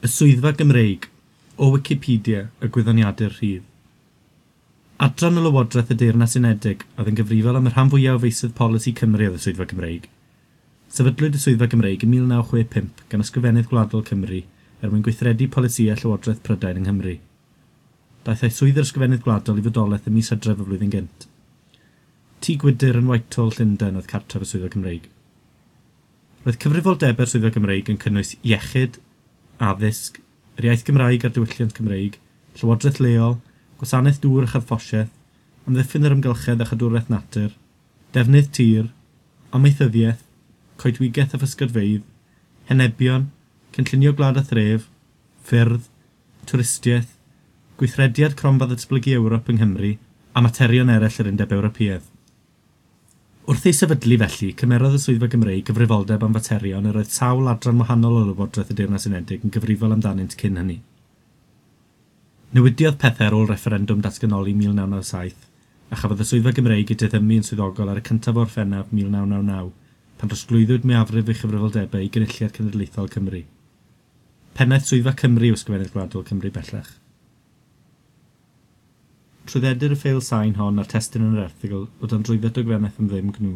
Y Swyddfa Gymreig, o Wicipedia, y gwyddoniadur rhydd. Adran o Lywodraeth y Deyrnas Unedig oedd yn gyfrifol am y rhan fwyaf o feysydd polisi Cymru oedd y Swyddfa Gymreig. Sefydlwyd y Swyddfa Gymreig yn 1965 gan Ysgrifennydd Gwladol Cymru er mwyn gweithredu polisïau Llywodraeth Prydain yng Nghymru. Daethai swydd yr Ysgrifennydd Gwladol i fodolaeth ym mis Hydref y flwyddyn gynt. Tŷ Gwydr yn Whitehall, Llundain oedd cartref y Swyddfa Gymreig. Roedd cyfrifoldebau'r Swyddfa Gymreig yn cynnwys iechyd, addysg, yr iaith Gymraeg a'r diwylliant Cymreig, llywodraeth leol, gwasanaeth dŵr a charthffosiaeth, amddiffyn yr amgylchedd a chadwraeth natur, defnydd tir, amaethyddiaeth, coedwigaeth a physgodfeydd, henebion, cynllunio gwlad a thref, ffyrdd, twristiaeth, gweithrediad Cronfa Ddatblygu Ewrop yng Nghymru a materion eraill yr Undeb Ewropeaidd. Wrth ei sefydlu felly, cymerodd y Swyddfa Gymreig gyfrifoldeb am faterion yr oedd sawl adran wahanol o Lywodraeth y Deyrnas Unedig yn gyfrifol amdanynt cyn hynny. Newidiodd pethau ar ôl refferendwm datganoli 1997, a chafodd y Swyddfa Gymreig ei diddymu yn swyddogol ar y 1 o Orffennaf 1999, pan drosglwyddwyd mwyafrif ei chyfrifoldebau i Gynulliad Cenedlaethol Cymru. Pennaeth Swyddfa Cymru yw Ysgrifennydd Gwladol Cymru bellach. Trwyddedir y ffeil sain hon a'r testun yn yr erthygl o dan drwydded dogfennaeth am ddim GNU.